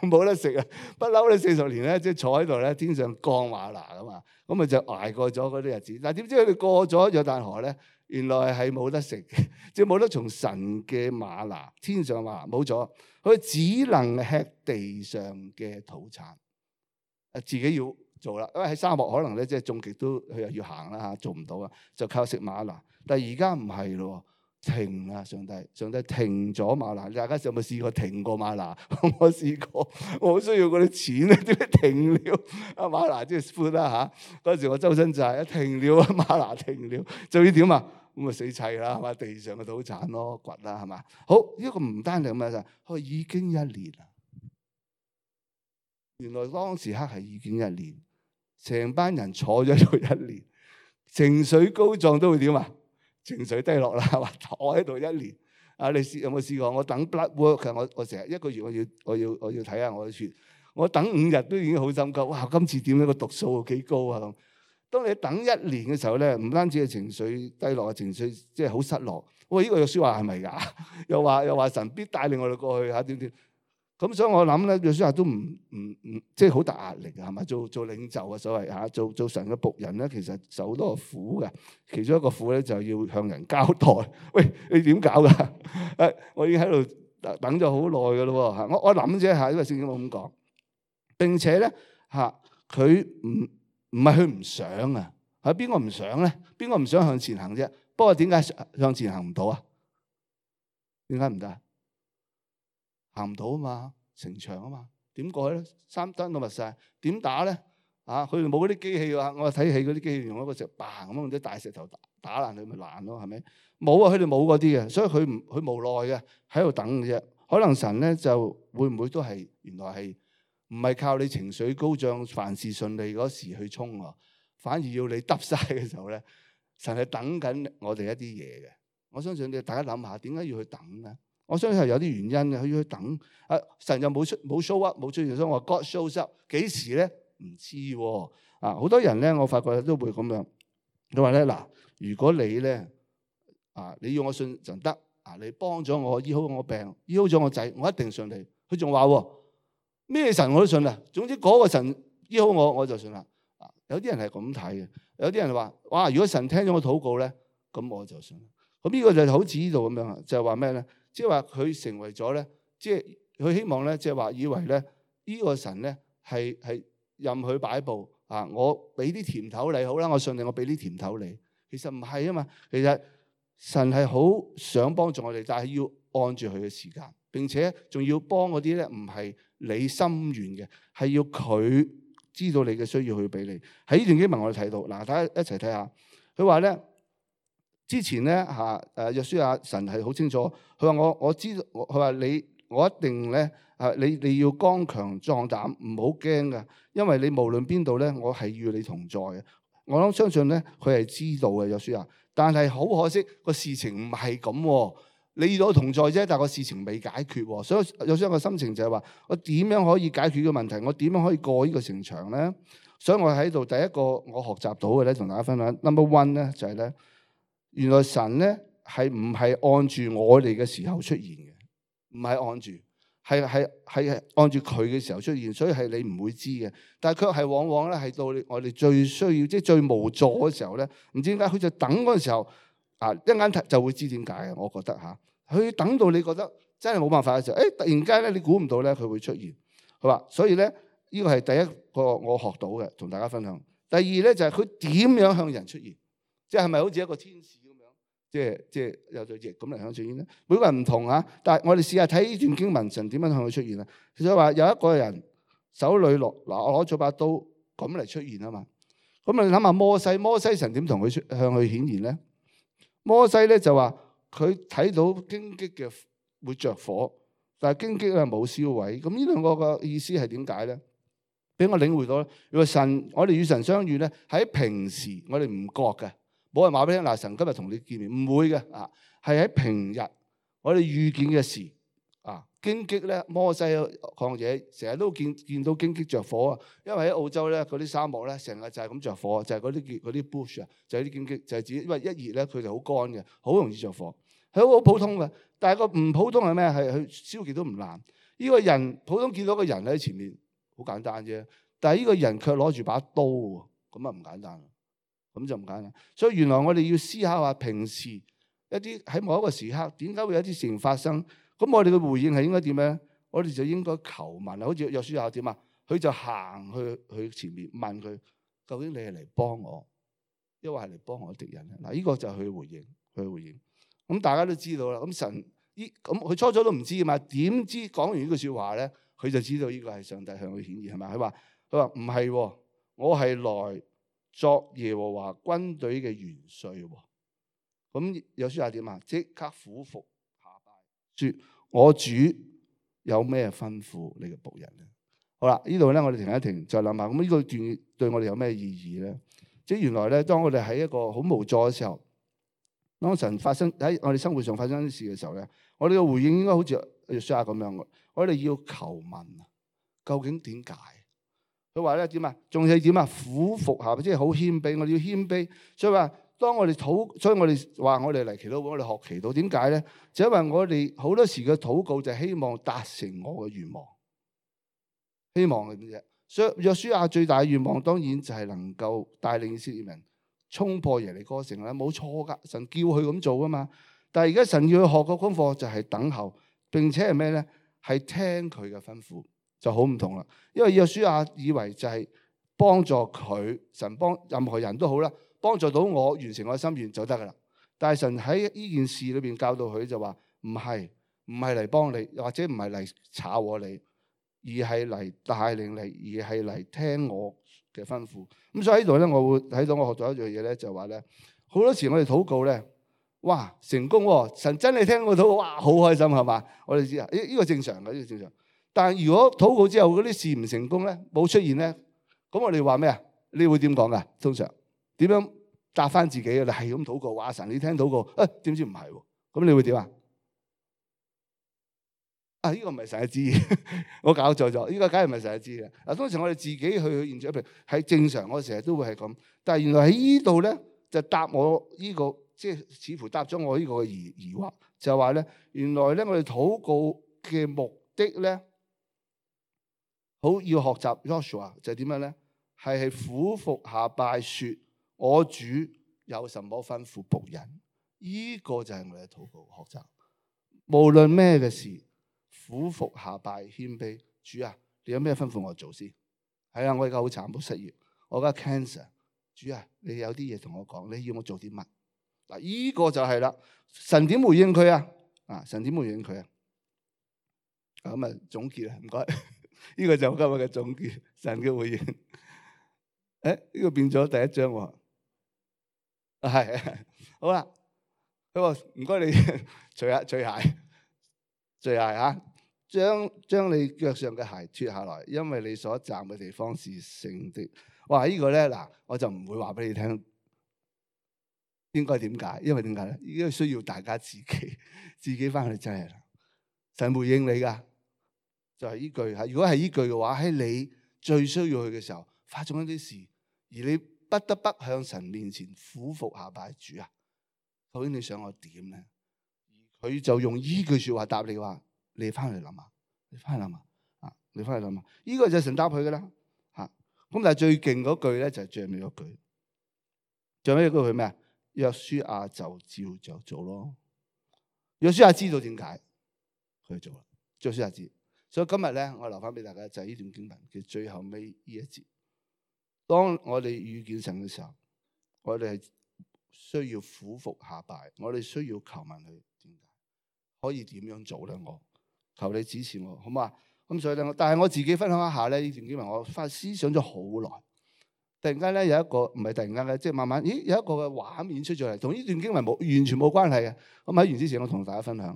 冇得食啊！不嬲咧四十年咧，即係坐喺度咧，天上降嗎哪噶嘛，咁咪就捱過咗嗰啲日子。但係點知佢哋過咗約旦河咧，原來係冇得食嘅，即係冇得從神嘅嗎哪，天上嗎哪冇咗，佢只能吃地上嘅土產，誒自己要做啦。因為喺沙漠可能咧，即係種極都佢又要行啦嚇，做唔到啊，就靠食嗎哪。但係而家唔係咯。停啦！上帝，上帝停咗嗎哪。大家有冇試過停過嗎哪？我試過，我好需要嗰啲錢咧，點解停了？啊嗎哪即係 food 啦嚇。嗰時我周身債，一停了啊嗎哪停了，就要點啊？咁啊死砌啦，係嘛？地上嘅土產咯，掘啦，係嘛？好，呢個唔單係咁樣就，佢已經一年啦。原來當時刻係已經一年，成班人坐咗喺度一年，情緒高漲都會點啊？情緒低落啦，話坐喺度一年。啊，你試有冇試過？我等 blood work，我我成日一個月我要我要我要睇下我嘅血。我等五日都已經好心急。哇！今次點樣個讀數幾高啊咁。當你等一年嘅時候咧，唔單止係情緒低落，情緒即係好失落。喂，呢個約書亞係咪㗎？又話又話神必帶領我哋過去嚇點點。咁所以我諗咧，約書亞都唔唔唔，即係好大壓力嘅，係嘛？做做領袖啊，所謂嚇，做做神嘅僕人咧，其實受好多苦嘅。其中一個苦咧，就要向人交代。喂，你點搞㗎？誒，我已經喺度等咗好耐㗎咯喎。我我諗啫嚇，因為聖經冇咁講。並且咧嚇，佢唔唔係佢唔想啊，係邊個唔想咧？邊個唔想向前行啫？不過點解向前行唔到啊？點解唔得？行唔到啊嘛，城牆啊嘛，點過去咧？三燈都密晒，點打咧？啊，佢哋冇嗰啲機器啊！我睇戲嗰啲機器用一個石嘭咁樣啲大石頭打打爛佢咪爛咯，係咪？冇啊，佢哋冇嗰啲嘅，所以佢唔佢無奈嘅喺度等嘅啫。可能神咧就會唔會都係原來係唔係靠你情緒高漲、凡事順利嗰時去衝啊，反而要你揼晒嘅時候咧，神係等緊我哋一啲嘢嘅。我相信你大家諗下，點解要去等咧？我相信係有啲原因嘅，佢要去等。啊，神又冇出冇 show up，冇出現，所以我話 God shows up 幾時咧？唔知喎。啊，好多人咧，我發覺都會咁樣。佢話咧嗱，如果你咧啊，你要我信就得啊，你幫咗我醫好我病，醫好咗我仔，我一定信你。佢仲話咩神我都信啦。總之嗰個神醫好我，我就信啦。啊，有啲人係咁睇嘅，有啲人話哇，如果神聽咗我禱告咧，咁我就信。咁呢個就好似呢度咁樣，就係話咩咧？即係話佢成為咗咧，即係佢希望咧，即係話以為咧，呢個神咧係係任佢擺佈啊！我俾啲甜頭你好啦，我信你，我俾啲甜頭你。其實唔係啊嘛，其實神係好想幫助我哋，但係要按住佢嘅時間，並且仲要幫嗰啲咧，唔係你心願嘅，係要佢知道你嘅需要去俾你。喺呢段經文我哋睇到，嗱，大家一齊睇下，佢話咧。之前咧嚇誒約書亞神係好清楚，佢話我我知道，佢話你我一定咧啊你你要剛強壯膽，唔好驚噶，因為你無論邊度咧，我係與你同在嘅。我諗相信咧，佢係知道嘅約書亞，但係好可惜個事情唔係咁。你與我同在啫，但係個事情未解決，所以約書亞嘅心情就係話：我點樣可以解決個問題？我點樣可以過呢個城牆咧？所以我喺度第一個我學習到嘅咧，同大家分享 number one 咧就係咧。原來神咧係唔係按住我哋嘅時候出現嘅，唔係按住，係係係按住佢嘅時候出現，所以係你唔會知嘅。但係卻係往往咧係到我哋最需要，即係最無助嘅時候咧，唔知點解佢就等嗰陣時候啊，一陣間就會知點解嘅。我覺得嚇，佢等到你覺得真係冇辦法嘅時候，誒突然間咧你估唔到咧佢會出現，係嘛？所以咧呢個係第一個我學到嘅，同大家分享。第二咧就係佢點樣向人出現，即係係咪好似一個天使？即係即係有對翼咁嚟向出現咧，每個人唔同啊。但係我哋試下睇呢段經文，神點樣向佢出現啊？其實話有一個人手裏落嗱，我攞咗把刀咁嚟出現啊嘛。咁你諗下摩西，摩西神點同佢出向佢顯現咧？摩西咧就話佢睇到荊棘嘅會着火，但係荊棘咧冇燒毀。咁呢兩個嘅意思係點解咧？俾我領會到咧，如果神我哋與神相遇咧，喺平時我哋唔覺嘅。冇人話俾你聽，嗱，神今日同你見面，唔會嘅啊，係喺平日我哋遇見嘅事啊，荊棘咧，摩西曠野成日都見見到荊棘着火啊！因為喺澳洲咧，嗰啲沙漠咧，成日就係咁着火，就係嗰啲嗰啲 bush 啊，就係啲荊棘，就係指因為一熱咧，佢就好乾嘅，好容易着火。係好普通嘅，但係個唔普通係咩？係佢燒極都唔爛。呢個人普通見到個人喺前面，好簡單啫。但係呢個人卻攞住把刀喎，咁啊唔簡單，咁就唔簡單。所以原來我哋要思考下，平時一啲喺某一個時刻，點解會有啲事情發生？咁我哋嘅回應係應該點咧？我哋就應該求問啊，好似約書亞點啊？佢就行去佢前面問佢：究竟你係嚟幫我，抑或係嚟幫我敵人咧？嗱，呢個就係佢回應，佢回應。咁大家都知道啦。咁神依咁佢初初都唔知㗎嘛？點知講完呢句説話咧，佢就知道呢個係上帝向佢顯現係咪？佢話佢話唔係，我係來作耶和華軍隊嘅元帥喎。咁約書亞點啊？即刻俯伏下拜，説：我主有咩吩咐你嘅僕人咧？好啦，呢度咧我哋停一停，再諗下。咁呢個段對我哋有咩意義咧？即係原來咧，當我哋喺一個好無助嘅時候，當神發生喺我哋生活上發生啲事嘅時候咧，我哋嘅回應應該好似約書亞咁樣嘅。我哋要求問啊，究竟點解？佢話咧點啊？仲係點啊？俯伏下，即係好謙卑。我哋要謙卑。所以話，當我哋禱，所以我哋話我哋嚟祈禱，我哋學祈禱。點解咧？就因為我哋好多時嘅禱告就係希望達成我嘅願望，希望嘅啫。所以約書亞最大嘅願望當然就係能夠帶領以色列人衝破耶利哥城啦，冇錯噶，神叫佢咁做噶嘛。但係而家神要佢學個功課就係等候，並且係咩咧？係聽佢嘅吩咐，就好唔同啦。因為約書亞以為就係幫助佢，神幫任何人都好啦，幫助到我完成我嘅心願就得噶啦。但係神喺呢件事裏邊教導佢就話唔係，唔係嚟幫你，或者唔係嚟炒我你，而係嚟帶領你，而係嚟聽我嘅吩咐。咁所以喺度咧，我會睇到我學到一樣嘢咧，就話咧，好多時我哋禱告咧，哇成功喎，神真係聽我禱告，哇好開心係嘛？我哋知啊，呢呢個正常嘅，呢個正常。但係如果禱告之後嗰啲事唔成功咧，冇出現咧，咁我哋話咩啊？你會點講噶？通常點樣答翻自己啊？你係咁禱告，話神你聽禱告，啊點知唔係喎？咁你會點啊？啊！呢個唔係神嘅旨意，我搞錯咗。呢個梗係唔係神嘅旨意嘅。嗱，當時我哋自己去現場，譬如係正常，我成日都會係咁。但係原來喺呢度咧，就答我呢個，即係似乎答咗我呢個疑疑惑，就係話咧，原來咧我哋禱告嘅目的咧，好要學習 Joshua 就係點樣咧？係係俯伏下拜，説我主有什麼吩咐僕人？呢個就係我哋嘅禱告學習。無論咩嘅事。俯伏下拜謙卑，主啊，你有咩吩咐我做先？係啊，我而家好慘，好失業，我而家 cancer。主啊，你有啲嘢同我講，你要我做啲乜？嗱，呢個就係啦。神點回應佢啊？啊，神點回應佢啊？咁啊，總結啊，唔該。呢個就今日嘅總結，神嘅回應。誒，呢個變咗第一章喎。係，好啦。佢話唔該你除下除鞋，除鞋嚇。將將你腳上嘅鞋脱下來，因為你所站嘅地方是聖的。哇！這個、呢個咧嗱，我就唔會話俾你聽應該點解，因為點解咧？應該需要大家自己自己翻去真係啦。神回應你噶，就係、是、呢句嚇。如果係呢句嘅話，喺你最需要佢嘅時候發生一啲事，而你不得不向神面前俯伏下拜，主啊，究竟你想我點咧？佢就用呢句説話答你話。你翻去諗下，你翻去諗下，啊！你翻去諗下，呢個就係神答佢噶啦，嚇！咁但係最勁嗰句咧就係最尾嗰句，最尾嗰句係咩啊？約書亞就照着做咯。約書亞知道點解佢做啦，約書亞知。所以今日咧，我留翻俾大家就係呢段經文嘅最後尾呢一節。當我哋遇見神嘅時候，我哋係需要俯伏下拜，我哋需要求問佢點解，可以點樣做咧？我。求你指示我，好嘛？咁所以咧，但係我自己分享一下咧，呢段經文我發思想咗好耐。突然間咧有一個，唔係突然間咧，即係慢慢，咦有一個嘅畫面出咗嚟，同呢段經文冇完全冇關係嘅。咁喺完之前，我同大家分享，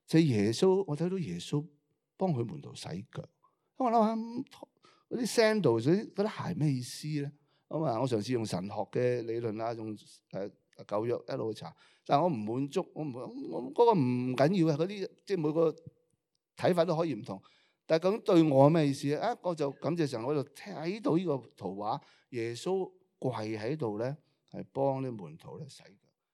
就係耶穌，我睇到耶穌幫佢門徒洗腳。咁我諗下嗰啲 sandal 嗰啲鞋咩意思咧？咁啊，我嘗試用神學嘅理論啦，用誒舊約一路去查，但係我唔滿足，我唔我嗰個唔緊要嘅嗰啲，即係每個。睇法都可以唔同。但係咁對我咩意思咧？啊，我就感謝神，我就睇到呢個圖畫，耶穌跪喺度咧，係幫啲門徒咧洗腳。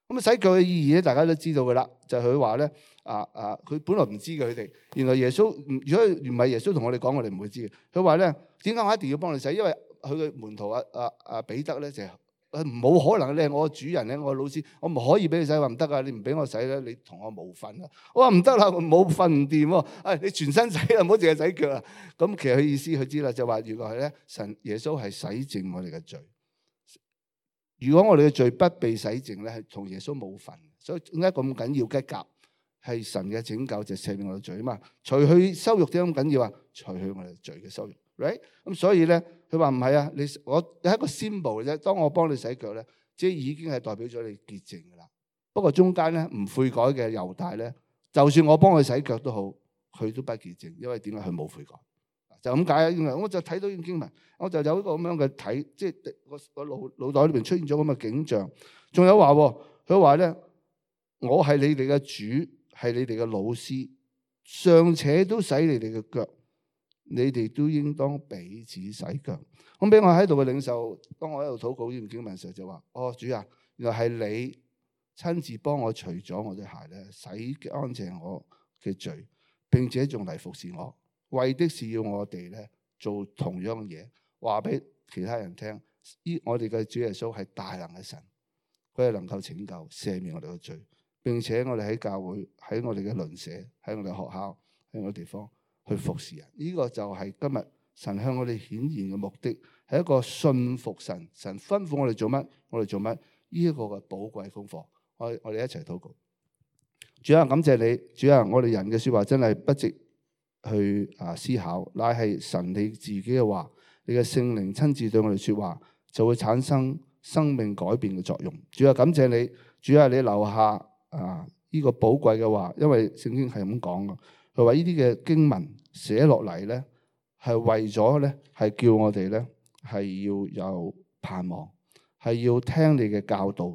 咁啊洗腳嘅意義咧，大家都知道噶啦，就係佢話咧，啊啊，佢本來唔知嘅佢哋，原來耶穌，如果唔係耶穌同我哋講，我哋唔會知嘅。佢話咧，點解我一定要幫你洗？因為佢嘅門徒啊啊啊彼得咧就係。冇可能，你係我主人咧，我老師，我唔可以俾你洗。話唔得啊，你唔俾我洗咧，你同我冇份啊！我話唔得啦，冇份唔掂喎。誒，你全身洗啊，唔好淨係洗腳啊。咁其實佢意思佢知啦，就話原來係咧，神耶穌係洗淨我哋嘅罪。如果我哋嘅罪不被洗淨咧，係同耶穌冇份。所以點解咁緊要嘅夾係神嘅拯救，就赦免我哋罪啊嘛。除去羞辱點解咁緊要啊？除去我哋罪嘅羞辱。right 咁所以咧，佢話唔係啊，你我係一個 symbol 嘅啫。當我幫你洗腳咧，即係已經係代表咗你潔淨噶啦。不過中間咧唔悔改嘅猶大咧，就算我幫佢洗腳都好，佢都不潔淨，因為點解佢冇悔改？就咁解啊！我就睇到呢段經文，我就有一個咁樣嘅睇，即係我我腦腦袋裏邊出現咗咁嘅景象。仲有話，佢話咧，我係你哋嘅主，係你哋嘅老師，尚且都洗你哋嘅腳。你哋都應當彼此洗腳。咁俾我喺度嘅領袖，當我喺度禱告呢段經文嘅時候就話：哦，主啊，原來係你親自幫我除咗我對鞋咧，洗乾淨我嘅罪，並且仲嚟服侍我，為的是要我哋咧做同樣嘅嘢，話俾其他人聽。依我哋嘅主耶穌係大能嘅神，佢係能夠拯救、赦免我哋嘅罪，並且我哋喺教會、喺我哋嘅鄰舍、喺我哋學校、喺我哋地方。去服侍人，呢、這個就係今日神向我哋顯現嘅目的，係一個信服神，神吩咐我哋做乜，我哋做乜，呢、這、一個嘅寶貴功課。我我哋一齊禱告。主啊，感謝你，主啊，我哋人嘅說話真係不值去啊思考，乃係神你自己嘅話，你嘅聖靈親自對我哋說話，就會產生生命改變嘅作用。主啊，感謝你，主啊，你留下啊呢、這個寶貴嘅話，因為聖經係咁講嘅。佢話呢啲嘅經文寫落嚟咧，係為咗咧，係叫我哋咧係要有盼望，係要聽你嘅教導，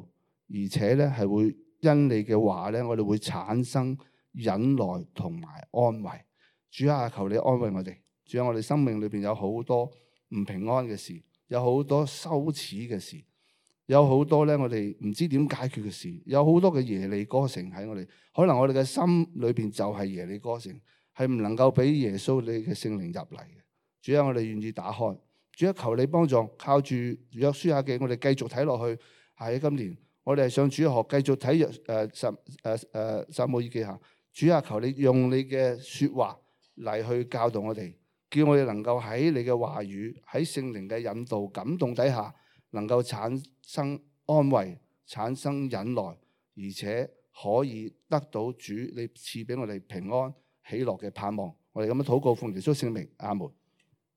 而且咧係會因你嘅話咧，我哋會產生忍耐同埋安慰。主啊，求你安慰我哋。主啊，我哋生命裏邊有好多唔平安嘅事，有好多羞恥嘅事，有好多咧我哋唔知點解決嘅事，有好多嘅耶利哥城喺我哋。可能我哋嘅心裏邊就係耶利哥城，係唔能夠俾耶穌你嘅聖靈入嚟嘅。主啊，我哋願意打開。主啊，求你幫助，靠住約書亞記，我哋繼續睇落去。喺今年，我哋係上主學，繼續睇約誒撒誒誒撒母耳記下。主啊，求你用你嘅説話嚟去教導我哋，叫我哋能夠喺你嘅話語、喺聖靈嘅引導、感動底下，能夠產生安慰、產生忍耐，而且可以得到主你賜俾我哋平安喜樂嘅盼望。我哋咁樣禱告奉耶穌聖名，阿門。